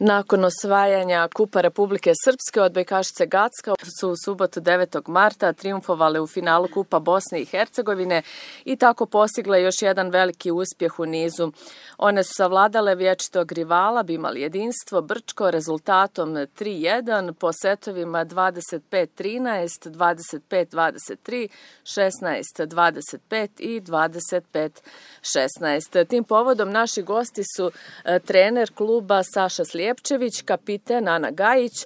Nakon osvajanja Kupa Republike Srpske odbojkašice Gacka su u subotu 9. marta triumfovale u finalu Kupa Bosne i Hercegovine i tako postigle još jedan veliki uspjeh u nizu. One su savladale vječitog rivala, bi imali jedinstvo Brčko rezultatom 3-1 po setovima 25-13, 25-23, 16-25 i 25-16. Tim povodom naši gosti su trener kluba Saša Slijepčević, kapiten Ana Gajić,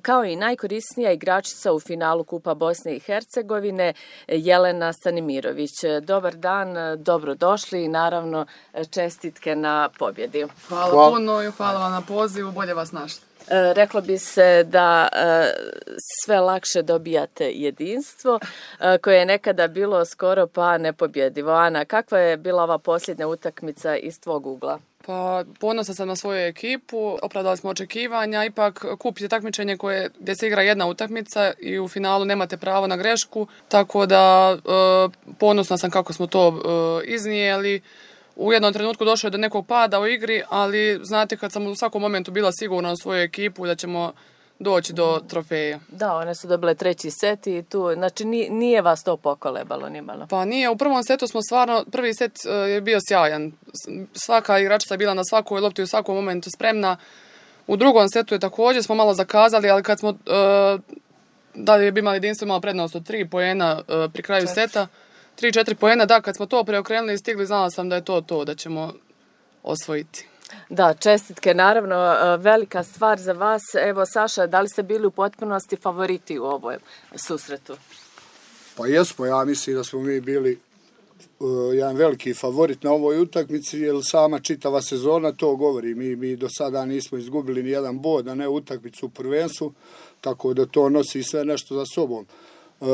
kao i najkorisnija igračica u finalu Kupa Bosne i Hercegovine Jelena Stanimirović. Dobar dan, dobrodošli i naravno čestitke na pobjedi. Hvala puno i hvala vam na pozivu, bolje vas našli. Reklo bi se da sve lakše dobijate jedinstvo koje je nekada bilo skoro pa nepobjedivo. Ana, kakva je bila ova posljednja utakmica iz tvog ugla? Pa ponosan sam na svoju ekipu, opravdali smo očekivanja, ipak kup je takmičenje gdje se igra jedna utakmica i u finalu nemate pravo na grešku, tako da ponosna sam kako smo to iznijeli. U jednom trenutku došlo je do nekog pada u igri, ali znate kad sam u svakom momentu bila sigurna u svoju ekipu da ćemo doći do trofeja. Da, one su dobile treći set i tu, znači nije vas to pokolebalo nimalo. Pa nije, u prvom setu smo stvarno, prvi set je bio sjajan. Svaka igračica je bila na svakoj lopti u svakom momentu spremna. U drugom setu je također smo malo zakazali, ali kad smo da bi imali jedinstvo, imali prednost od 3 poena pri kraju seta. 3-4 poena, da, kad smo to preokrenuli i stigli, znala sam da je to, da ćemo osvojiti. Da, čestitke, naravno, velika stvar za vas. Evo, Saša, da li ste bili u potpunosti favoriti u ovom susretu? Pa jesmo, ja mislim da smo mi bili jedan veliki favorit na ovoj utakmici, jer sama čitava sezona to govori. Mi do sada nismo izgubili ni jedan bod, a ne utakmicu u prvenstvu, tako da to nosi sve nešto za sobom.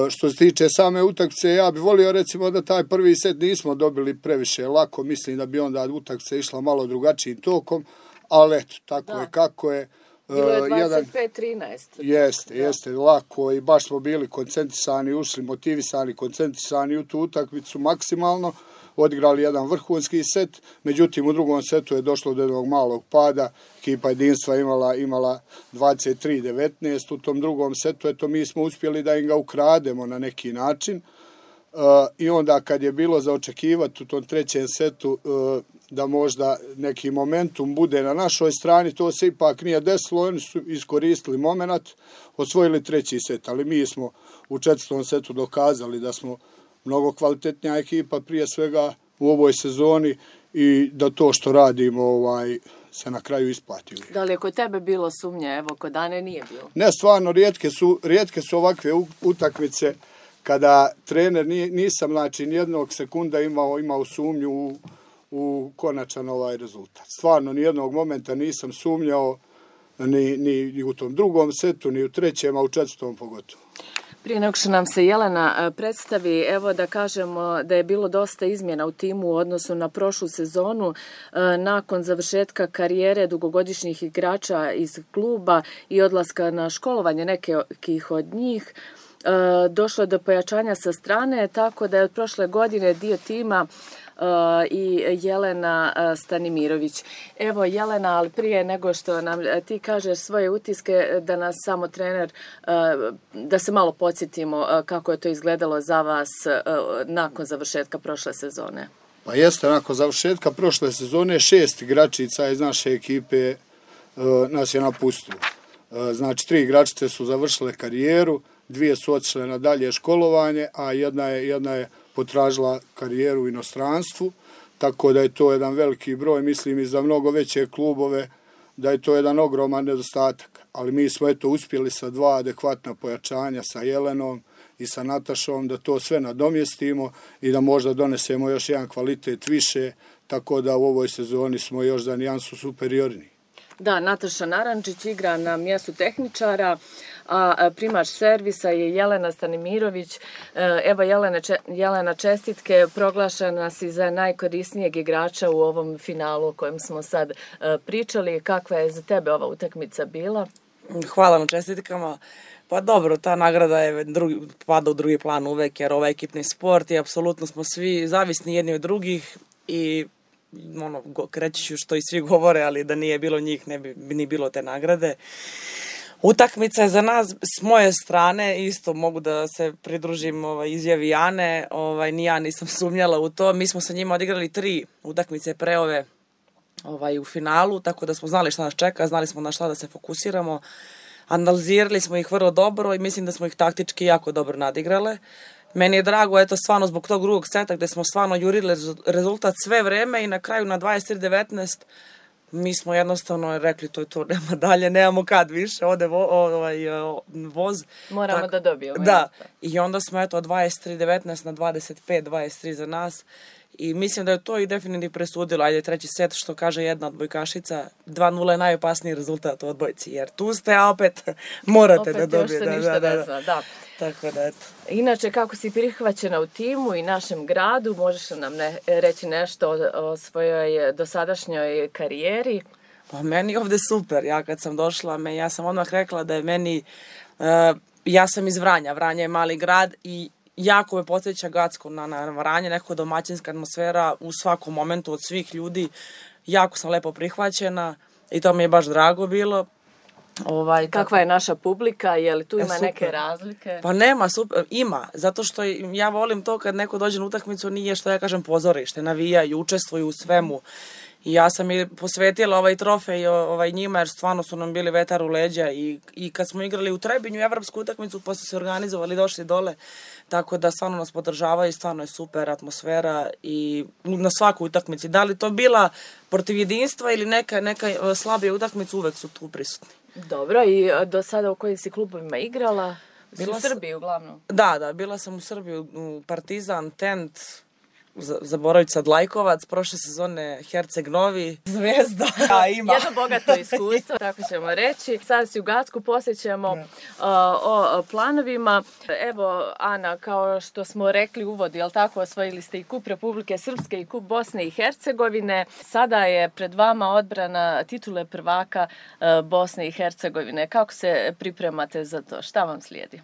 Što se tiče same utakmice, ja bih volio recimo da taj prvi set nismo dobili previše lako, mislim da bi onda utakmica išla malo drugačijim tokom, ali eto, tako je kako je. Bilo je 25-13. Jeste, lako i baš smo bili koncentrisani, ušli motivisani, koncentrisani u tu utakmicu maksimalno, odigrali jedan vrhunski set, međutim u drugom setu je došlo do jednog malog pada, ekipa jedinstva imala 23-19 u tom drugom setu, eto mi smo uspjeli da im ga ukrademo na neki način i onda kad je bilo za očekivati u tom trećem setu da možda neki momentum bude na našoj strani, to se ipak nije desilo, oni su iskoristili moment, osvojili treći set, ali mi smo u četvrtom setu dokazali da smo mnogo kvalitetnija ekipa prije svega u ovoj sezoni i da to što radimo se na kraju isplati. Da li je kod tebe bilo sumnje, evo kod Ane nije bilo? Ne, stvarno, rijetke su ovakve utakmice kada trener nisam, znači, nijednog sekunda imao sumnju u konačan rezultat. Stvarno, nijednog momenta nisam sumnjao ni u tom drugom setu, ni u trećem, a u četvrtom pogotovo. Prije nego što nam se Jelena predstavi, evo da kažemo da je bilo dosta izmjena u timu u odnosu na prošlu sezonu. Nakon završetka karijere dugogodišnjih igrača iz kluba i odlaska na školovanje nekih od njih, došlo je do pojačanja sa strane, tako da je od prošle godine dio tima i Jelena Stanimirović. Evo Jelena, ali prije nego što nam ti kažeš svoje utiske, da nas samo trener, da se malo podsjetimo kako je to izgledalo za vas nakon završetka prošle sezone. Pa jeste, nakon završetka prošle sezone 6 igračica iz naše ekipe nas je napustilo. Znači 3 igračice su završile karijeru, 2 su otišle na dalje školovanje, a jedna je potražila karijeru u inostranstvu, tako da je to jedan veliki broj, mislim i za mnogo veće klubove, da je to jedan ogroman nedostatak. Ali mi smo uspjeli sa 2 adekvatna pojačanja, sa Jelenom i sa Natašom, da to sve nadomjestimo i da možda donesemo još jedan kvalitet više, tako da u ovoj sezoni smo još za nijansu superiorni. Da, Nataša Narančić igra na mjestu tehničara, a primač servisa je Jelena Stanimirović. Evo Jelena, čestitke, proglašena si za najkorisnijeg igrača u ovom finalu o kojem smo sad pričali. Kakva je za tebe ova utakmica bila? Hvala na čestitkama. Pa dobro, ta nagrada pada u drugi plan uvek, jer ovaj ekipni sport i apsolutno smo svi zavisni jedni od drugih i reći ću što i svi govore, ali da nije bilo njih ne bi ni bilo te nagrade. Utakmica je za nas, s moje strane, isto mogu da se pridružim izjavi Ane, ni ja nisam sumnjala u to. Mi smo sa njima odigrali 3 utakmice pre ove u finalu, tako da smo znali šta nas čeka, znali smo na šta da se fokusiramo. Analizirali smo ih vrlo dobro i mislim da smo ih taktički jako dobro nadigrale. Meni je drago, stvarno zbog tog drugog seta gde smo stvarno jurili rezultat sve vreme i na kraju na 23-19 mi smo jednostavno rekli to je to, nema dalje, nemamo kad više, ode voz. Moramo da dobijemo. Da, i onda smo 23-19 na 25-23 za nas. I mislim da je to i definitivno presudilo. Ajde, 3. set, što kaže jedna odbojkašica, 2-0 je najopasniji rezultat u odbojci, jer tu ste, a opet morate da dobijete. Opet još se ništa ne zna, da. Tako da, eto. Inače, kako si prihvaćena u timu i našem gradu, možeš nam reći nešto o svojoj dosadašnjoj karijeri? Pa meni ovde super. Ja kad sam došla, ja sam odmah rekla da je meni, ja sam iz Vranja, Vranje je mali grad i jako me podsjeća Gacko na Vranje, nekako domaćinska atmosfera u svakom momentu od svih ljudi. Jako sam lepo prihvaćena i to mi je baš drago bilo. Kakva je naša publika? Je li tu ima neke razlike? Pa nema, ima. Zato što ja volim to kad neko dođe na utakmicu, nije što ja kažem pozorište, navijaju, učestvuju u svemu. I ja sam i posvetila ovaj trofej njima jer stvarno su nam bili vetar u leđa i kad smo igrali u Trebinju evropsku utakmicu pa su se organizovali, došli dole, tako da stvarno nas podržavaju i stvarno je super atmosfera i na svakoj utakmici. Da li to bila protiv Jedinstva ili neka slabija utakmica, uvek su tu prisutni. Dobro, i do sada u kojim si klubovima igrala? U Srbiji uglavnom? Da, bila sam u Srbiji, u Partizan, Tent, zaboravit sad Lajkovac, prošle sezone Herceg Novi, Zvezda. Jedno bogato iskustvo, tako ćemo reći. Sada si u Gacku, posjećamo o planovima. Evo, Ana, kao što smo rekli u uvodu, jel tako, osvojili ste i kup Republike Srpske i kup Bosne i Hercegovine. Sada je pred vama odbrana titule prvaka Bosne i Hercegovine. Kako se pripremate za to? Šta vam slijedi?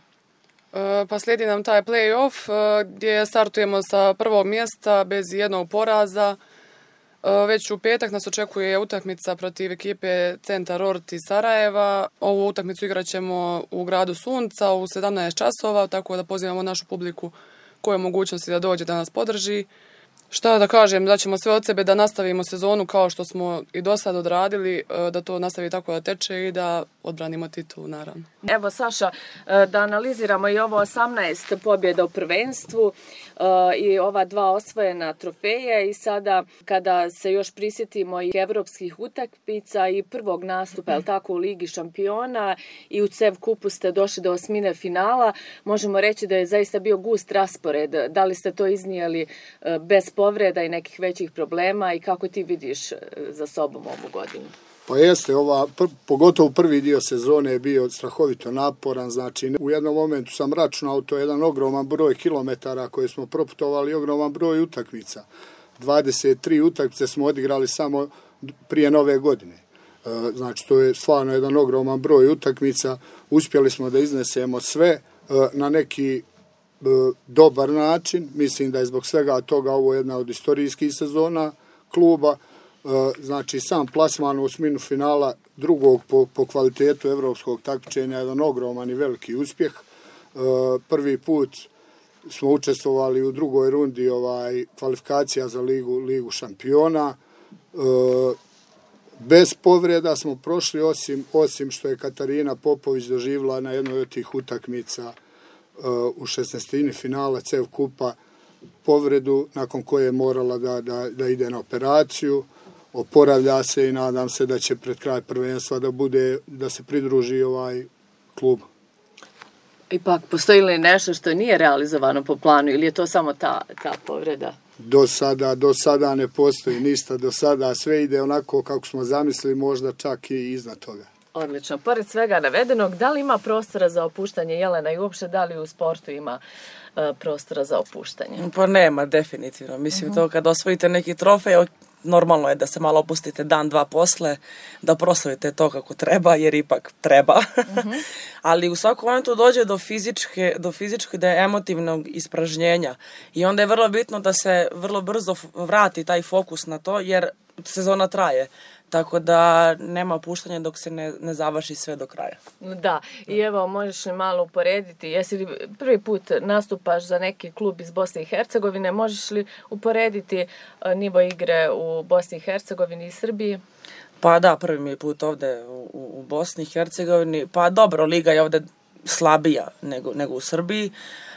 Pa slijedi nam taj play-off gdje startujemo sa prvog mjesta bez jednog poraza. Već u petak nas očekuje utakmica protiv ekipe Centar Ort iz Sarajeva. Ovu utakmicu igrat ćemo u gradu Sunca u 17 časova, tako da pozivamo našu publiku koja je mogućnosti da dođe da nas podrži. Šta da kažem, da ćemo sve od sebe da nastavimo sezonu kao što smo i do sad odradili, da to nastavi tako da teče i da odbranimo titulu, naravno. Evo, Saša, da analiziramo i ovo 18 pobjeda u prvenstvu i ova 2 osvojena trofeje i sada kada se još prisjetimo i evropskih utakmica i prvog nastupa, je tako, u Ligi šampiona i u CEV kupu ste došli do 8. finala, možemo reći da je zaista bio gust raspored. Da li ste to iznijeli bez povreda i nekih većih problema i kako ti vidiš za sobom ovu godinu? Pa jeste, pogotovo prvi dio sezone je bio strahovito naporan, znači u jednom momentu sam računao, to je jedan ogroman broj kilometara koje smo proputovali, ogroman broj utakmica. 23 utakmice smo odigrali samo prije nove godine. Znači to je stvarno jedan ogroman broj utakmica, uspjeli smo da iznesemo sve na neki dobar način, mislim da je zbog svega toga ovo jedna od istorijskih sezona kluba. Znači sam plasman u 8. finala drugog po kvalitetu evropskog takmičenja je jedan ogroman i veliki uspjeh. Prvi put smo učestvovali u drugoj rundi kvalifikacija za ligu šampiona. Bez povreda smo prošli, osim što je Katarina Popović doživjela na jednoj od tih utakmica u 16. finala CEV kupa povredu nakon koje je morala da ide na operaciju. Oporavlja se i nadam se da će pred kraj prvenstva da se pridruži ovaj klub. Ipak, postoji li nešto što nije realizovano po planu ili je to samo ta povreda? Do sada ne postoji ništa, do sada sve ide onako kako smo zamislili, možda čak i iznad toga. Odlično. Pored svega navedenog, da li ima prostora za opuštanje, Jelena, i uopšte da li u sportu ima prostora za opuštanje? Pa nema, definitivno. Mislim, to kad osvojite neki trofej, normalno je da se malo opustite dan, dva posle, da proslavite to kako treba, jer ipak treba. Ali u svakom momentu dođe do fizičke, da je emotivnog ispražnjenja. I onda je vrlo bitno da se vrlo brzo vrati taj fokus na to, jer sezona traje. Tako da nema puštanja dok se ne završi sve do kraja. Da, i evo možeš li malo uporediti, jesi li prvi put nastupaš za neki klub iz Bosne i Hercegovine, možeš li uporediti nivo igre u Bosni i Hercegovini i Srbiji? Pa da, prvi mi je put ovde u Bosni i Hercegovini. Pa dobro, liga je ovde slabija nego u Srbiji,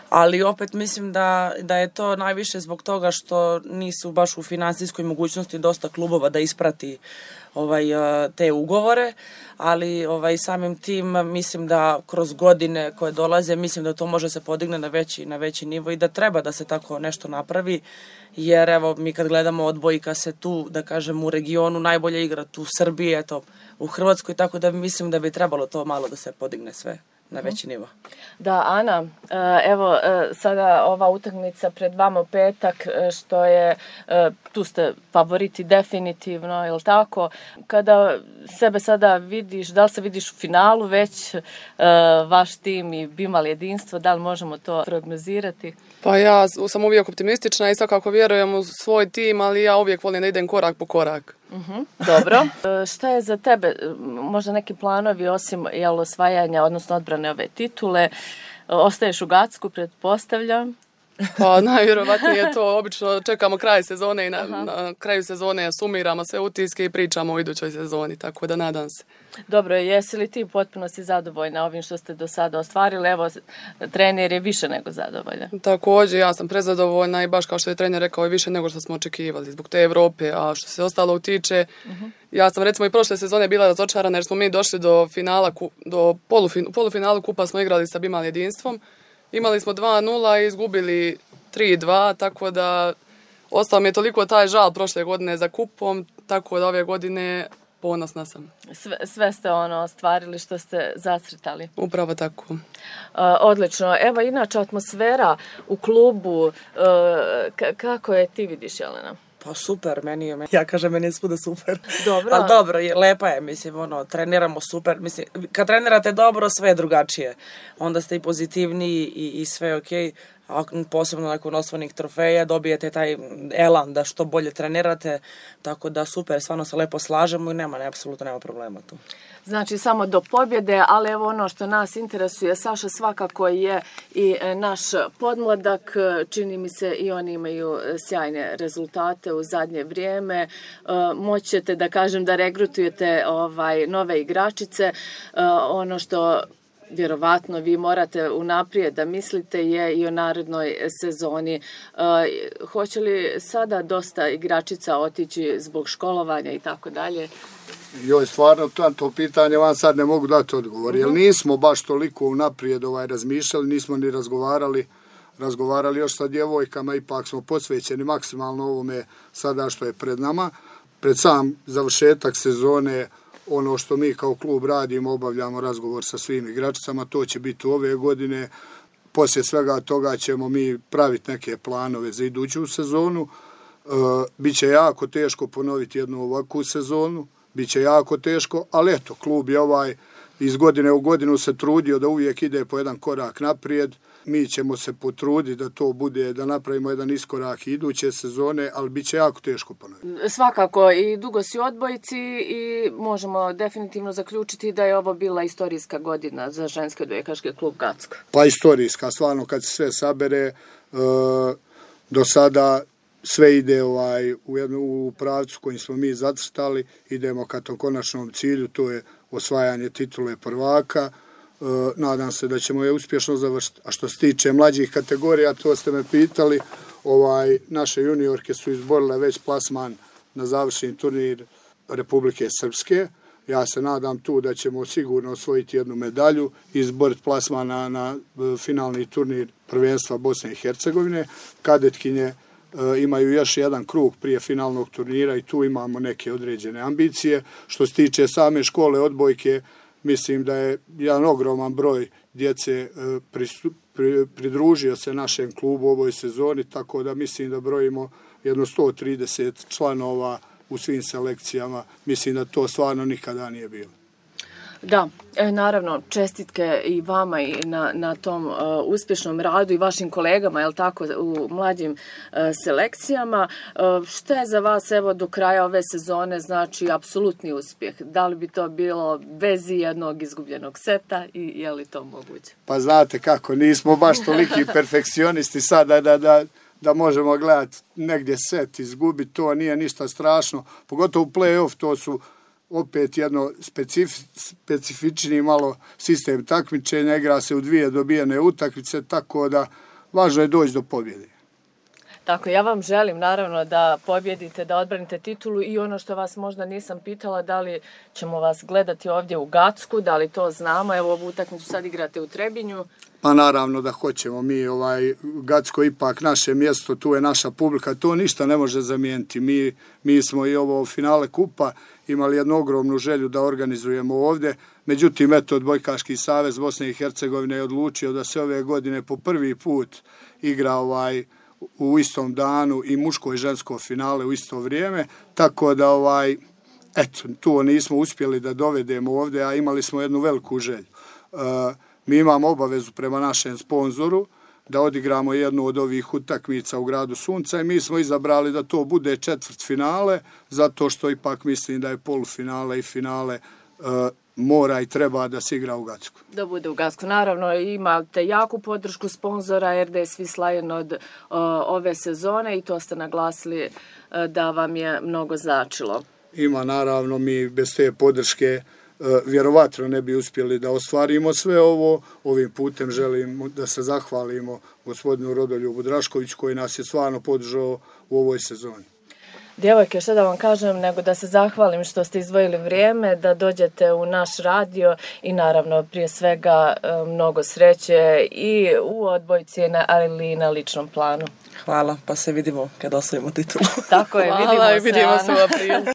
ali opet mislim da je to najviše zbog toga što nisu baš u finansijskoj mogućnosti dosta klubova da isprati te ugovore, ali samim tim mislim da kroz godine koje dolaze, mislim da to može se podigne na veći nivo i da treba da se tako nešto napravi, jer evo mi kad gledamo odbojka se tu, da kažem, u regionu najbolje igra tu u Srbiji, eto u Hrvatskoj, tako da mislim da bi trebalo to malo da se podigne sve na veći nivo. Da, Ana, evo sada ova utakmica pred vama u petak, što je, tu ste favoriti definitivno, je li tako? Kada sebe sada vidiš, da li se vidiš u finalu već, vaš tim i Bimal jedinstvo, da li možemo to prognozirati? Pa ja sam uvijek optimistična i svakako vjerujem u svoj tim, ali ja uvijek volim da idem korak po korak. Dobro. Šta je za tebe, možda neki planovi osim osvajanja, odnosno odbrane ove titule? Ostaješ u Gacku, pretpostavljam? Pa najvjerovatnije je to, obično čekamo kraj sezone i na kraju sezone sumiramo sve utiske i pričamo o idućoj sezoni, tako da nadam se. Dobro, jesi li ti potpuno si zadovoljna ovim što ste do sada ostvarili? Evo, trener je više nego zadovoljan. Također, ja sam prezadovoljna i baš kao što je trener rekao, i više nego što smo očekivali zbog te Evrope, a što se ostalo utiče, ja sam recimo i prošle sezone bila razočarana jer smo mi došli do finala, polufinalu kupa smo igrali sa Bimal jedinstvom. Imali smo 2-0 i izgubili 3-2, tako da ostao mi je toliko taj žal prošle godine za kupom, tako da ove godine ponosna sam. Sve ste ostvarili što ste zacrtali. Upravo tako. Odlično. Evo, inače atmosfera u klubu, kako je ti vidiš, Jelena? Pa super, ja kažem, meni je svuda super. Dobro. Ali dobro, lepa je, mislim, treniramo super. Mislim, kad trenirate dobro, sve je drugačije. Onda ste i pozitivniji i sve je okej. A posebno nakon osvojenih trofeja dobijete taj elan da što bolje trenirate. Tako da super, stvarno se lepo slažemo i apsolutno nema problema tu. Znači samo do pobjede, ali evo ono što nas interesuje, Saša svakako je i naš podmladak, čini mi se i oni imaju sjajne rezultate u zadnje vrijeme, moćete da kažem da regrutujete nove igračice, ono što vjerovatno vi morate unaprijed da mislite je i o narednoj sezoni. Hoće li sada dosta igračica otići zbog školovanja i tako dalje? Joj, stvarno, to pitanje vam sad ne mogu dati odgovor, jer nismo baš toliko unaprijed razmišljali, nismo ni razgovarali još sa djevojkama, ipak smo posvećeni maksimalno ovome sada što je pred nama. Pred sam završetak sezone, ono što mi kao klub radimo, obavljamo razgovor sa svim igračicama, to će biti ove godine. Poslije svega toga ćemo mi praviti neke planove za iduću sezonu. Biće jako teško ponoviti jednu ovakvu sezonu, biće jako teško, ali eto, klub je iz godine u godinu se trudio da uvijek ide po jedan korak naprijed. Mi ćemo se potruditi da to bude, da napravimo jedan iskorak iduće sezone, ali bit će jako teško ponoviti. Svakako, i dugo si u odbojci i možemo definitivno zaključiti da je ovo bila istorijska godina za ženski odbojkaški klub Gacko. Pa istorijska, stvarno kad se sve sabere, do sada sve ide u pravcu kojim smo mi zacrtali, idemo ka tom konačnom cilju, to je osvajanje titule prvaka. Nadam se da ćemo je uspješno završiti. A što se tiče mlađih kategorija, to ste me pitali, naše juniorke su izborile već plasman na završni turnir Republike Srpske. Ja se nadam tu da ćemo sigurno osvojiti jednu medalju i izboriti plasman na finalni turnir prvenstva Bosne i Hercegovine. Kadetkinje imaju još jedan krug prije finalnog turnira i tu imamo neke određene ambicije. Što se tiče same škole odbojke, mislim da je jedan ogroman broj djece pridružio se našem klubu u ovoj sezoni, tako da mislim da brojimo jedno 130 članova u svim selekcijama. Mislim da to stvarno nikada nije bilo. Da, naravno, čestitke i vama i na tom uspješnom radu i vašim kolegama, jel tako, u mlađim selekcijama. Šta je za vas, evo, do kraja ove sezone, znači, apsolutni uspjeh? Da li bi to bilo bez jednog izgubljenog seta i je li to moguće? Pa znate kako, nismo baš toliki perfekcionisti sada da možemo gledati negdje set izgubiti, to nije ništa strašno, pogotovo u play-off, to su opet jedno specifični malo sistem takmičenja, igra se u 2 dobijene utakmice, tako da važno je doći do pobjede. Tako, ja vam želim naravno da pobjedite, da odbranite titulu i ono što vas možda nisam pitala, da li ćemo vas gledati ovdje u Gacku, da li to znamo, evo ovu utakmicu sad igrate u Trebinju. Pa naravno da hoćemo, mi Gacko ipak naše mjesto, tu je naša publika, to ništa ne može zamijeniti. Mi smo i ovo finale kupa imali jednu ogromnu želju da organizujemo ovdje, međutim eto Odbojkaški savez Bosne i Hercegovine je odlučio da se ove godine po prvi put igra u istom danu i muško i žensko finale u isto vrijeme, tako da eto, to nismo uspjeli da dovedemo ovdje, a imali smo jednu veliku želju. Mi imamo obavezu prema našem sponzoru da odigramo jednu od ovih utakmica u Gradu Sunca i mi smo izabrali da to bude četvrtfinale, zato što ipak mislim da je polufinale i finale mora i treba da se igra u Gacku. Da bude u Gacku. Naravno, imate jaku podršku sponzora RDS Vis Lion od ove sezone i to ste naglasili da vam je mnogo značilo. Ima, naravno, mi bez te podrške vjerovatno ne bi uspjeli da ostvarimo sve ovo. Ovim putem želim da se zahvalimo gospodinu Rodoljubu Draškoviću koji nas je stvarno podržao u ovoj sezoni. Djevojke, što da vam kažem, nego da se zahvalim što ste izdvojili vrijeme, da dođete u naš radio i naravno prije svega mnogo sreće i u odbojci, ali i na ličnom planu. Hvala, pa se vidimo kad osvojimo titulu. Tako je, vidimo se u aprilu.